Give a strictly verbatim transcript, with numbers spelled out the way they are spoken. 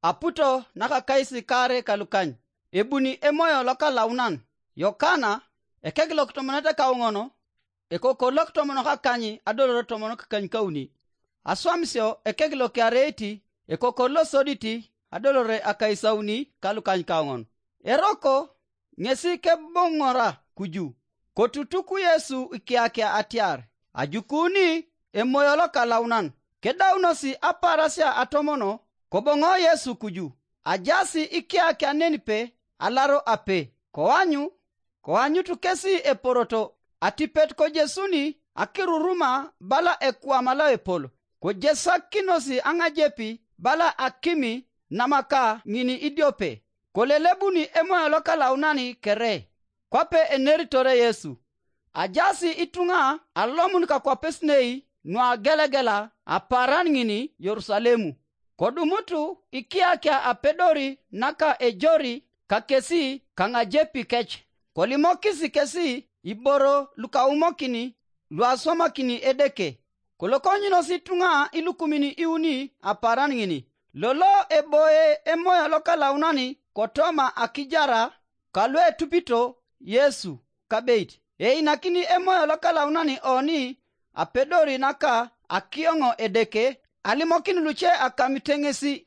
aputo nakakais kaare kalukany, ebuni Emoyo Lokalaunan. Yokana, ekek lokitomonete kauŋon, ekokor lokitomonok akany adolore tomon kakany kauni. Aswamisio ekek lokiareit, ekokor losodit adolore akaisauni kalukany kauŋon. Eroko ŋesi keboŋora kuju, kotutuk Yesu ikiakia atiar, ajukuni Emoyo Lokalaunan. Kedaunosi apaarasia atomono, koboŋo Yesu kuju, ajaasi ikiakia nenipe alaro ape, koanyu, koanyut kesi eporoto atipet kojesuni akiruruma bala ekwam loepol, kojesakinosi aŋajepi bala akimi namaka ŋin idiope, kolelebuni Emoyo Lokalaunan kere. Kwape eneritore Yesu, ajaasi ituŋa alomun kakwapesinei nuagelegela apaaran ŋin Yerusalemu. Kodumutu ikiakia apedori naka ejori kakesi kaŋajepi kec, kolimokis kesi iboro lukaumokini luaswamakini Edeke. Kolokonyunos ituŋa ilukumin iuni apaaran ŋin, lolo eboe Emoyo Lokalaunan kotoma akijara, kaluetupito Yesu kabeit. Einakini Emoyo Lokalaunan oni apedori naka akioŋ Edeke, alimokin luce akamite ŋesi